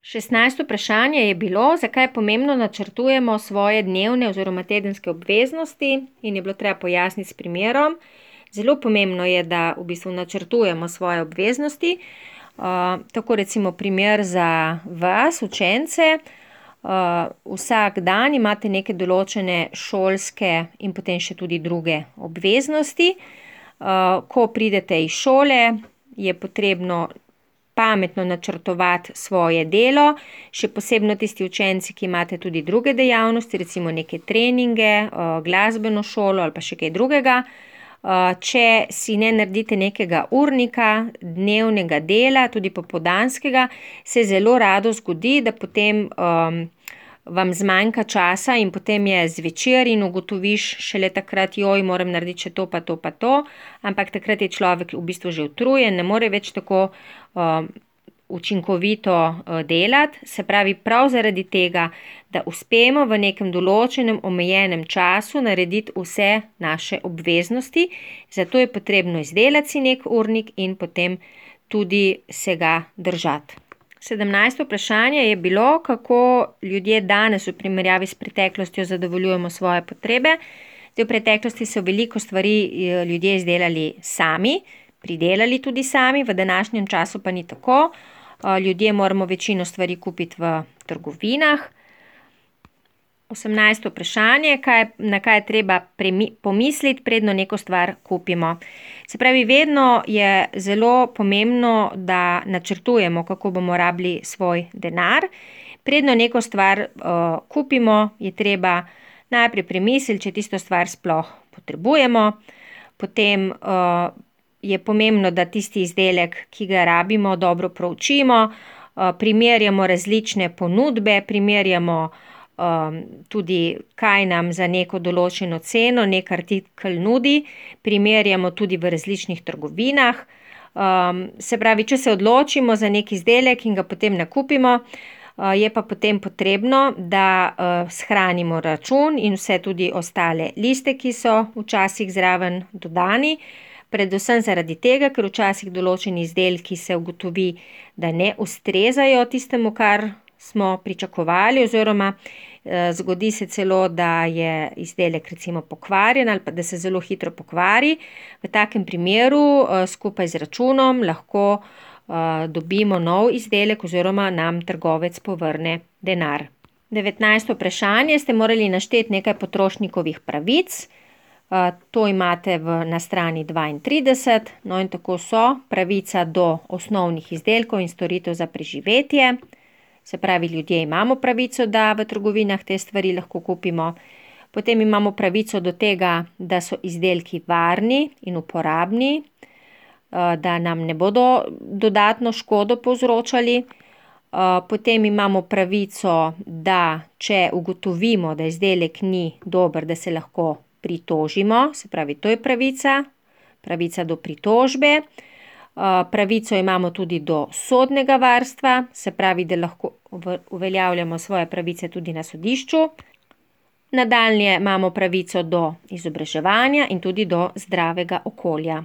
16. vprašanje je bilo, zakaj pomembno načrtujemo svoje dnevne oziroma tedenske obveznosti, in je bilo treba pojasniti s primerom. Zelo pomembno je, da v bistvu načrtujemo svoje obveznosti. Tako recimo primer za vas, učence. Vsak dan imate neke določene šolske in potem še tudi druge obveznosti. Ko pridete iz šole, je potrebno pametno načrtovati svoje delo, še posebno tisti učenci, ki imate tudi druge dejavnosti, recimo neke treninge, glasbeno šolo ali pa še kaj drugega. Če si ne naredite nekega urnika, dnevnega dela, tudi popoldanskega, se zelo rado zgodi, da potem vam zmanjka časa in potem je zvečer in ugotoviš šele takrat, moram narediti še to pa to pa to, ampak takrat je človek v bistvu že utrujen, ne more več tako učinkovito delati. Se pravi, prav zaradi tega, da uspemo v nekem določenem omejenem času narediti vse naše obveznosti, zato je potrebno izdelati si nek urnik in potem tudi se ga držati. 17. vprašanje je bilo, kako ljudje danes v primerjavi s preteklostjo zadovoljujemo svoje potrebe. V preteklosti so veliko stvari ljudje izdelali sami, pridelali tudi sami, v današnjem času pa ni tako. Ljudje moramo večino stvari kupiti v trgovinah. 18. vprašanje, na kaj je treba pomisliti, predno neko stvar kupimo. Se pravi, vedno je zelo pomembno, da načrtujemo, kako bomo rabili svoj denar. Predno neko stvar kupimo, je treba najprej premisliti, če tisto stvar sploh potrebujemo. Potem je pomembno, da tisti izdelek, ki ga rabimo, dobro proučimo, primerjamo različne ponudbe, primerjamo tudi, kaj nam za neko določeno ceno nek artikel nudi, primerjamo tudi v različnih trgovinah. Se pravi, če se odločimo za nek izdelek in ga potem nakupimo, je pa potem potrebno, da shranimo račun in vse tudi ostale liste, ki so včasih zraven dodani. Predvsem zaradi tega, ker včasih določeni izdelki se ugotovi, da ne ustrezajo tistemu, kar smo pričakovali, oziroma zgodi se celo, da je izdelek recimo pokvarjen ali pa da se zelo hitro pokvari. V takem primeru skupaj z računom lahko dobimo nov izdelek oziroma nam trgovec povrne denar. 19. vprašanje, ste morali našteti nekaj potrošnikovih pravic. To imate na strani 32, no in tako so: pravica do osnovnih izdelkov in storitev za preživetje. Se pravi, ljudje imamo pravico, da v trgovinah te stvari lahko kupimo. Potem imamo pravico do tega, da so izdelki varni in uporabni, da nam ne bodo dodatno škodo povzročali. Potem imamo pravico, da če ugotovimo, da izdelek ni dober, da se lahko pritožimo. Se pravi, to je pravica do pritožbe. Pravico imamo tudi do sodnega varstva, se pravi, da lahko uveljavljamo svoje pravice tudi na sodišču. Nadaljnje imamo pravico do izobraževanja in tudi do zdravega okolja.